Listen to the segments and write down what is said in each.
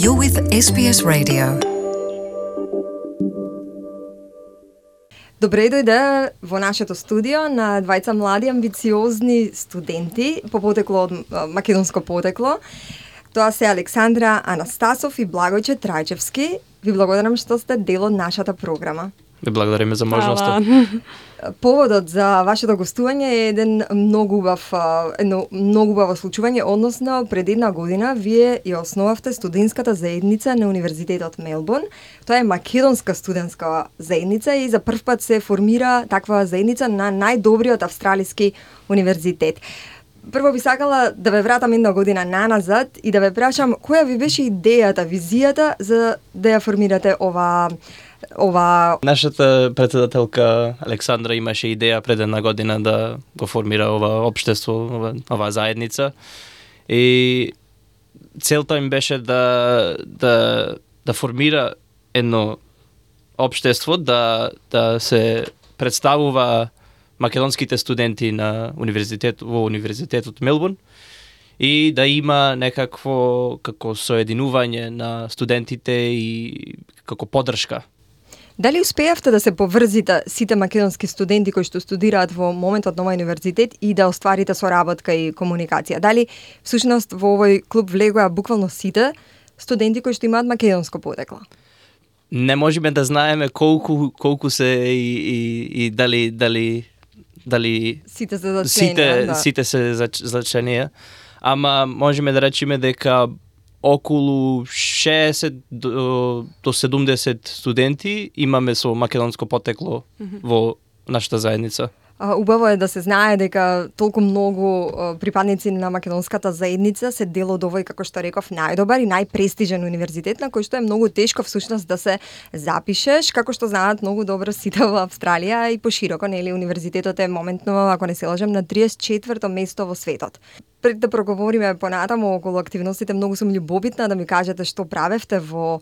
You're with SBS Radio. Добре дојде во нашето студио на двајца млади амбициозни студенти по потекло од македонско потекло. Тоа се Александра Анастасов и Благојче Трајчевски. Ви благодарам што сте дел од нашата програма. Ви благодариме за можноста. Поводот за вашето гостување е едно многу убаво случување, односно пред една година вие ја основавте студентската заедница на Универзитетот Мелбурн. Тоа е македонска студентска заедница и за прв пат се формира таква заедница на најдобриот австралиски универзитет. Прво би сакала да ве вратам една година наназад и да ве прашам која ви беше идејата, визијата за да ја формирате ова. Нашата председателка Александра имаше идеја пред една година да го формира ова општество, ова заедница. И целта им беше да формира едно општество, да се представува македонските студенти на во Универзитетот Мелбурн и да има некакво како соединување на студентите и како поддршка. Дали успеавте да се поврзите сите македонски студенти кои што студираат во моментот на овој универзитет и да остварите соработка и комуникација? Дали всушност во овој клуб влегоа буквално сите студенти кои што имаат македонско потекло? Не можеме да знаеме колку се и дали сите се зачленија, сите се зачленија, ама можеме да речеме дека околу 60 до 70 студенти имаме со македонско потекло во нашата заедница. Убаво е да се знае дека толку многу припадници на македонската заедница се дел од овој, како што реков, најдобар и најпрестижен универзитет на кој што е многу тешко всушност да се запишеш, како што знаат многу добро сите во Австралија и пошироко, нели, универзитетот е моментно, ако не се лажам, на 34-то место во светот. Пред да проговориме понатаму околу активностите, многу сум љубопитна да ми кажете што правевте во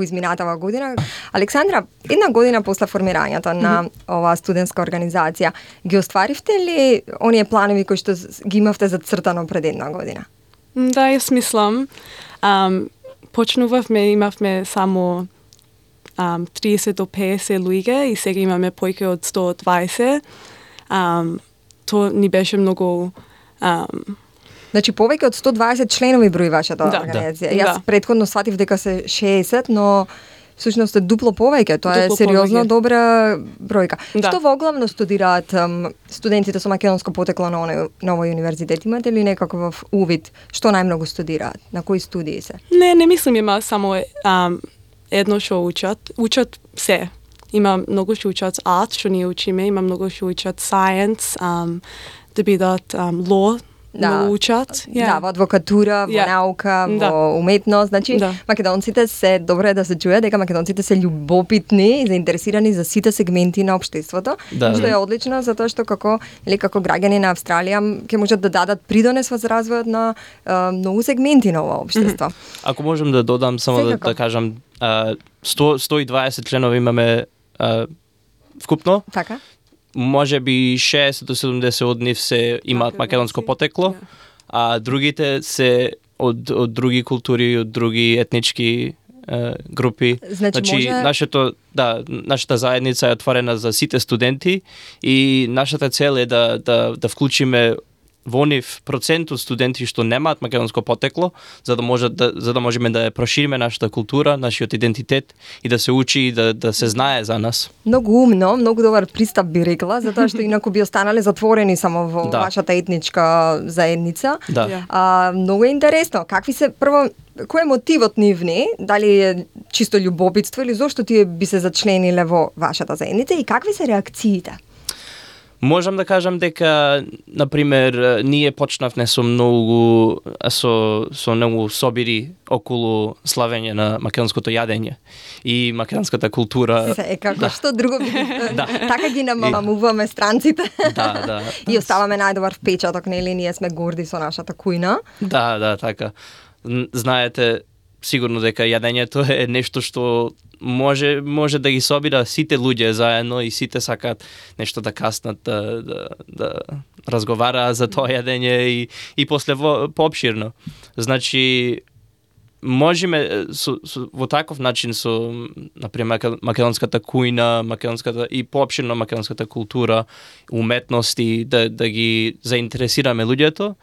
изминатава година. Александра, една година после формирањето на оваа студентска организација, ги остваривте ли оние планови кои што ги имавте зацртано пред една година? Да, јас мислам. Почнувавме, имавме само 30 до 50 луѓе и сега имаме поиќе од 120. Тоа ни беше многу... Значи, повеќе од 120 членови брои вашата организација. Јас предходно сватив дека се 60, но всушност е дупло повеќе. Тоа е сериозно добра бројка. Што воглавно студираат студентите со македонско потекло на овој универзитет? Имате ли некаков увид што најмногу студираат? На кои студии се? Не мислам има само едно што учат. Учат се. Има многу што учат арт, што ние учиме, има многу што учат science, да бидат law, многу учат. Да, во адвокатура, во наука, во уметност. Значи, македонците се, добро е да се чуе дека македонците се љубопитни и заинтересирани за сите сегменти на општеството, што е одлично затоа што како граѓани на Австралија ќе можат да дадат придонес во развојот на многу сегменти на ова општество. Ако можам да додам само да кажам 120 членови имаме вкупно. Така. Може би 60 до 70 од нив се имаат македонско потекло, а другите се од други култури, од други етнички групи. Значи нашата заедница е отворена за сите студенти и нашата цел е да вклучиме во нив процент од студенти што немаат македонско потекло, за да можеме да прошириме нашата култура, нашиот идентитет и да се учи и да се знае за нас. Многу умно, многу добар пристап би рекла, затоа што инаку би останале затворени само во вашата етничка заедница. Многу е интересно. Кој е мотивот нивни? Дали е чисто љубопитство или зошто тие би се зачлениле во вашата заедница и какви се реакциите? Можам да кажам дека, например, ние почнавме со многу собири околу славење на македонското јадење и македонската култура. Како што друго би... Така ги намамуваме странците. И оставаме најдобар впечаток, нели, ние сме горди со нашата кујна. Да, така. Знаете, сигурно дека јадењето е нешто што може да ги собира сите луѓе заедно и сите сакаат нешто да каснат, да разговараат за тоа јадење и после поопширно. Значи, можеме во таков начин со например македонската кујна, македонската и поопштено македонската култура, уметности да ги заинтересираме луѓето,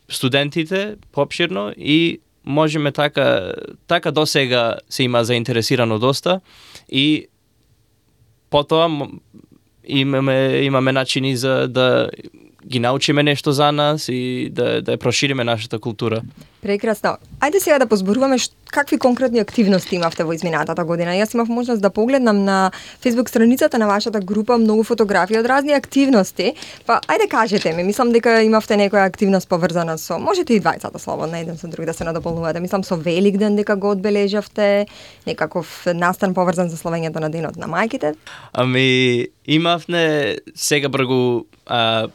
студентите поопштено и можеме така досега се има заинтересирано доста и потоа имаме начини за да ги научиме нешто за нас и да ја прошириме нашата култура. Прекрасно. Ајде сега да позборуваме какви конкретни активности имавте во изминатата година. Јас имав можност да погледнам на Facebook страницата на вашата група многу фотографии од разни активности. Па ајде кажете ми, мислам дека имавте некоја активност поврзана со, можете и двајцата слободно еден со друг да се надополнувате. Мислам со Великден дека го одбележавте, некаков настан поврзан за славењето на денот на мајките. Ами имавме сега бргу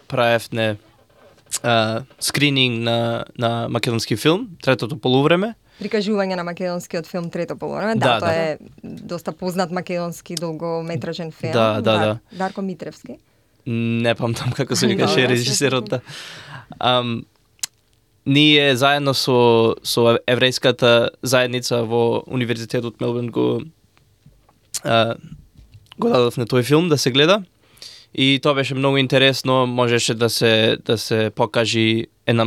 правевне скрининг на македонски филм, третото полувреме. Прикажување на македонскиот филм Трето полувреме. Да, тоа е доста познат македонски долгометражен филм. Да. Дарко Митревски. Не памтам како се викаше режисерот. Ние заедно со еврејската заедница во Универзитетот Мелбурн го дадовме тој филм да се гледа. И тоа беше многу интересно, можеше да се покажи една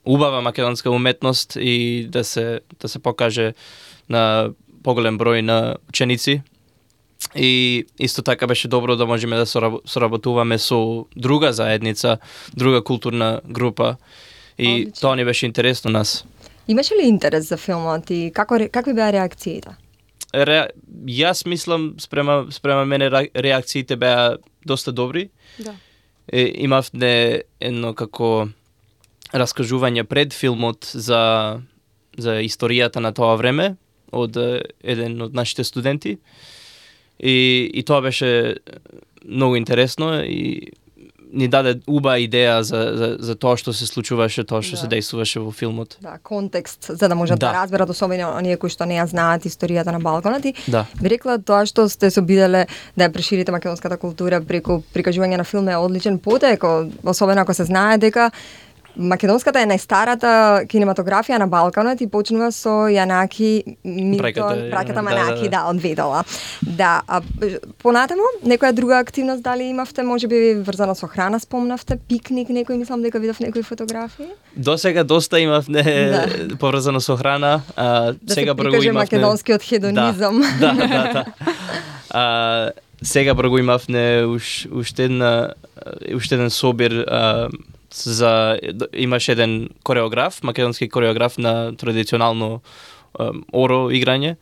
убава македонска уметност и да се покаже на поголем број на ученици. И исто така беше добро да можеме да соработуваме со друга заедница, друга културна група. И тоа ни беше интересно нас. Имаше ли интерес за филмот и какви беа реакциите? Јас мислам спрема мене реакциите беа доста добри. Да. Имавме едно како раскажување пред филмот за историјата на тоа време од еден од нашите студенти. И тоа беше многу интересно и ни даде убава идеја за тоа што се случуваше, тоа што се дејствуваше во филмот. Да, контекст, за да можат да разберат особено оние кои што не ја знаат историјата на Балканот. И би рекла тоа што сте се обиделе да ја проширите македонската култура преку прикажување на филм е одличен потек, особено ако се знае дека македонската е најстарата кинематографија на Балканот и почнува со Јанаки Милтон, браќата Манаки, од Ведала. Да, понатаму, некоја друга активност дали имавте, можеби врзана со храна, спомнавте, пикник, некој, мислам дека видов некои фотографии? Досега доста имавме поврзано со храна, сега бргу имавме македонскиот хедонизам. Да. Сега бргу имавме уште еден собир имаше еден кореограф, македонски кореограф на традиционално оро играње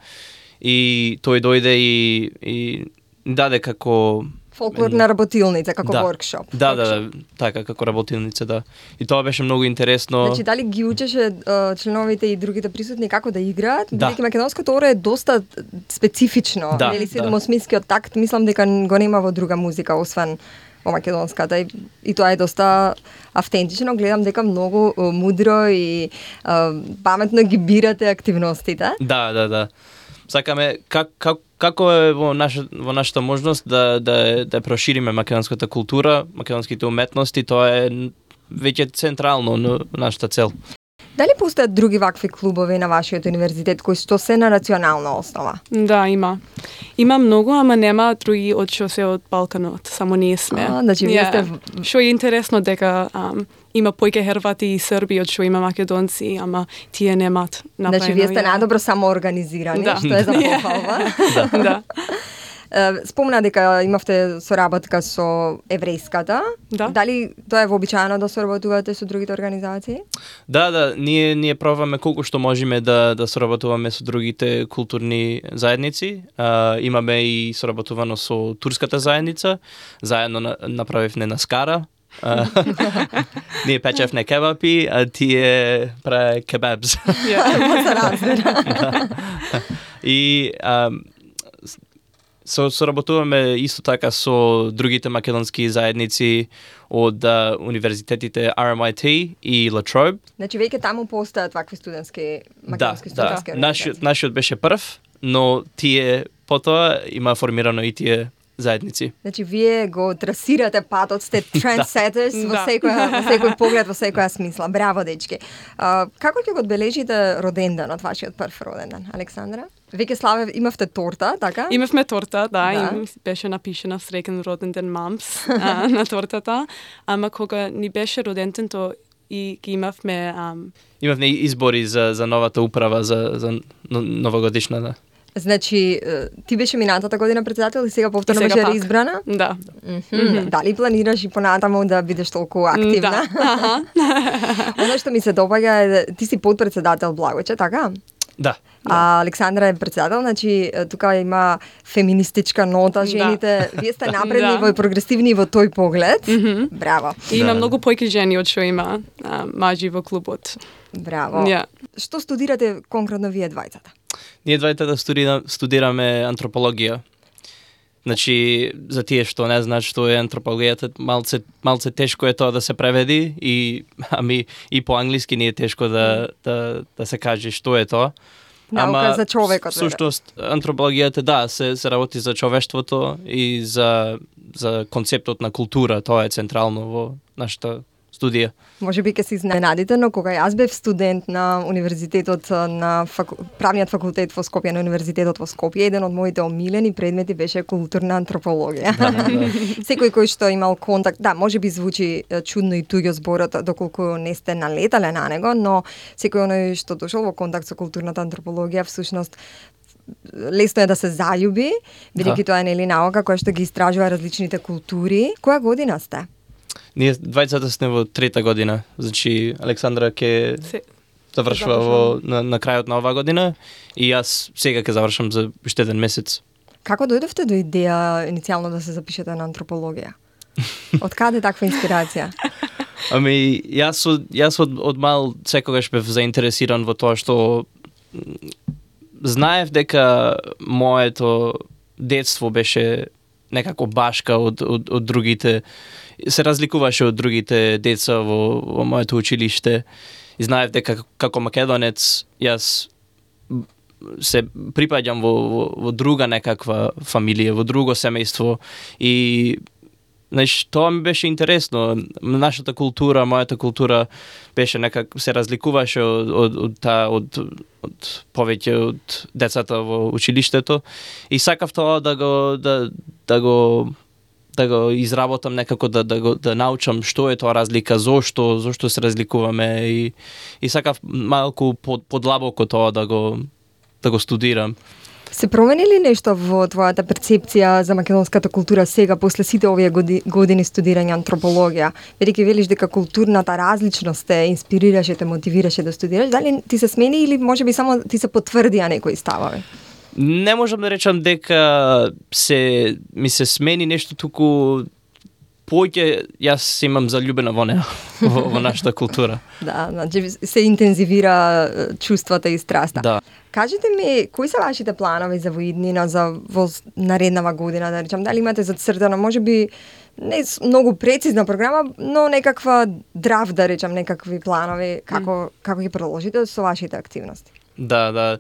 и тој дојде и даде како фолклорна работилница, како воркшоп. Да, така како работилница, да. И тоа беше многу интересно. Значи дали ги учеше членовите и другите присутни како да играат? Бидејќи македонското оро е доста специфично, нели седмосмискиот такт, мислам дека го нема во друга музика освен во македонската и тоа е доста автентично. Гледам дека многу мудро и паметно ги бирате активностите. Да. Сакаме како е во нашата можност да прошириме македонската култура, македонските уметности, тоа е веќе централно на нашата цел. Дали постојат други вакви клубови на вашиот универзитет кои што се на национална основа? Да, има. Има многу, ама нема други од што се од Балканот, само ние сме. Значи вие сте Што е интересно дека има појќе Хрвати и Срби од што има македонци, ама тие немат направено. Значи вие сте најдобро самоорганизирани, што е за похвалба. Да. Спомна дека имавте соработка со еврејската. Да. Дали тоа е вообичаено да соработувате со другите организации? Да, ние пробаме колку што можеме да соработуваме со другите културни заедници. Имаме и соработувано со турската заедница, заедно направивме на Скара. Ние печевме кебапи, а тие праве кебабс. И соработуваме исто така со другите македонски заедници од универзитетите RMIT и La Trobe. Значи веќе таму постојат вакви студентски македонски студентски организации. Нашиот беше прв, но тие потоа има формирано и тие заедници. Значи, вие го трасирате патот, сте trendsetters во секој поглед, во секоја смисла. Браво, дечки. Како ќе го одбележите роденденот, вашиот прв роденден, Александра? Веќе славе, имавте торта, така? Имавме торта, да. Беше напишена среќен роденден мамс на тортата. Ама кога ни беше роденден, то и ги имавме... Имавме избори за новата управа, за новогодишната. Значи, ти беше минатата година председател и сега повторно беше реизбрана? Да. Дали планираш и понатаму да бидеш толку активна? Да. Оно што ми се допаѓа е, ти си подпредседател Благоче, така? Да. А Александра е председател, значи тука има феминистичка нота, жените, вие сте напредни во прогресивни во тој поглед. Браво. И има многу појки жени од што има мажи во клубот. Браво. Што студирате конкретно вие двајцата? Ние двајцата студираме антропологија. Значи, за тие што не знаат што е антропологијата, малце тешко е тоа да се преведи и по англиски не е тешко да се каже што е тоа. Наука за човекот. Всушност, антропологијата, се работи за човештвото и за концептот на култура. Тоа е централно во нашата студија. Може би ќе се изненадите, но кога јас бев студент на универзитетот, на правниот факултет во Скопје, на универзитетот во Скопје, еден од моите омилени предмети беше културна антропологија. Секој кој што имал контакт, може би звучи чудно и туѓо зборот доколку не сте налетале на него, но секој оној што дошол во контакт со културната антропологија всушност лесно е да се заљуби, бидејќи тоа е нели наука која што ги истражува различните култури. Која година сте? Ние двајцата сме во трета година. Значи, Александра ќе завршува на крајот на оваа година и јас сега ќе завршам за уште еден месец. Како дојдовте до идеја иницијално да се запишете на антропологија? Од каде таква инспирација? Јас од мал секогаш бев заинтересиран во тоа што знаев дека моето детство беше некако башка од другите, се разликуваше од другите деца во моето училиште и знаев дека како македонец јас се припаѓам во друга некаква фамилија, во друго семејство и тоа ми беше интересно. Нашата култура, мојата култура беше се разликуваше од повеќе од децата во училиштето и сакав тоа да го изработам некако, да научам што е тоа разлика, зошто се разликуваме и сакав малку подлабоко тоа да го студирам. Се промени ли нешто во твојата перцепција за македонската култура сега после сите овие години студирање антропологија? Бидејќи велиш дека културната различност те инспирираше, те мотивираше да студираш, дали ти се смени или можеби само ти се потврдија некои ставови? Не можам да речам дека ми се смени нешто, туку поќе јас имам заљубена во неа, во нашата култура. Да, значи се интензивира чувствата и страста. Да. Кажете ми, кои се вашите планови за воиднина, во нареднава година, да речам, дали имате зацртано, можеби не многу прецизна програма, но некаква драв, да речам, некакви планови, како ќе продолжите со вашите активности? Да.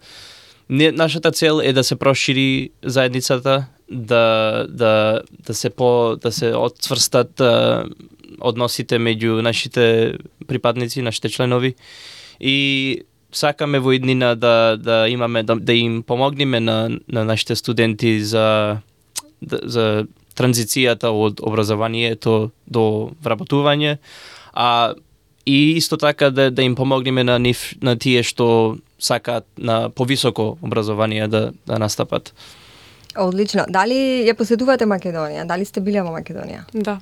Нашата цел е да се прошири заедницата, да се отцврстат односите меѓу нашите припадници, нашите членови и сакаме во иднина да имаме да им помогнеме на нашите студенти за транзицијата од образованието до вработување, и исто така да им помогнеме на тие што сакаат на повисоко образование да настапат. Одлично. Дали ја посетувате Македонија? Дали сте биле во Македонија? Да.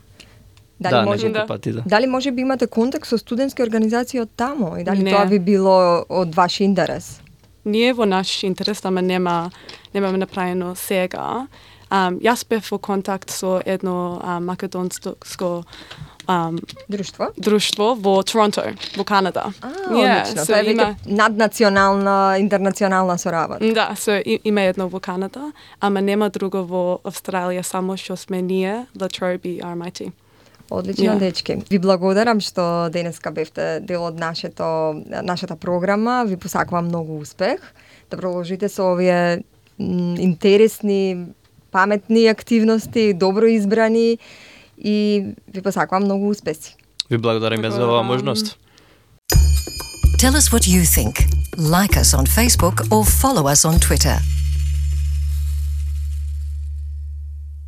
Неколку пати, да. Дали може би имате контакт со студентски организации од таму и дали тоа би било од ваш интерес? Ние во наш интерес, ама немаме направено сега. Јас бев во контакт со едно македонско друштво во Торонто, во Канада. Одлично. Тоа е веќе наднационална, интернационална соработка. Да, има едно во Канада, ама нема друго во Австралија, само што сме ние, Latrobe RMIT. Одлично, дечки. Ви благодарам што денеска бевте дел од нашата програма. Ви посакувам многу успех. Да продолжите со овие интересни паметни активности, добро избрани и ви посакувам многу успеси. Ви благодариме за оваа можност. Tell us what you think. Like us on Facebook or follow us on Twitter.